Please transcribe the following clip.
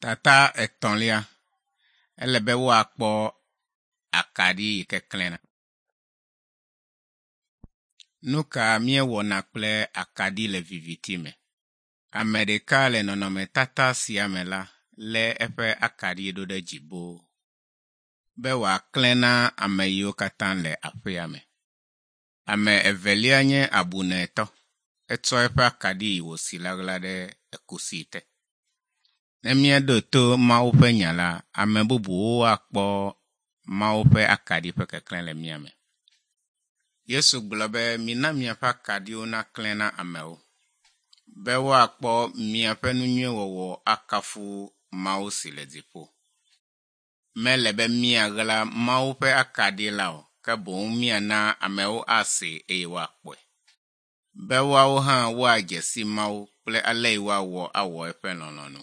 Tata etɔ̃lia, ele be woakpɔ akaɖi yi ke klẽna. Nu ka míewɔna kple akaɖi le viviti me? Ame ɖeka le nɔnɔmetata sia me la lé eƒe akaɖi ɖo ɖe dzi boo be wòaklẽ na ame yiwo katã le aƒea me. Ame evelia nye abunɛtɔ. Etsɔ eƒe akaɖi yi wòsi la ɣla ɖe ekusi te. Ne míeɖo to Mawu ƒe nya la, ame bubuwo akpɔ Mawu ƒe akaɖi ƒe keklẽ le mía me. Yesu gblɔ be mina miaƒe akaɖiwo naklẽ na amewo, be woakpɔ miaƒe nu nyui wɔwɔ akafu Mawu si le dziƒo. Mele be míaɣla Mawu ƒe akaɖi la o, ke boŋ míana amewo asee eye woakpɔe. Be woawo hã woadze si Mawu kple ale yi woawɔ awɔ eƒe lɔlɔ̃nu.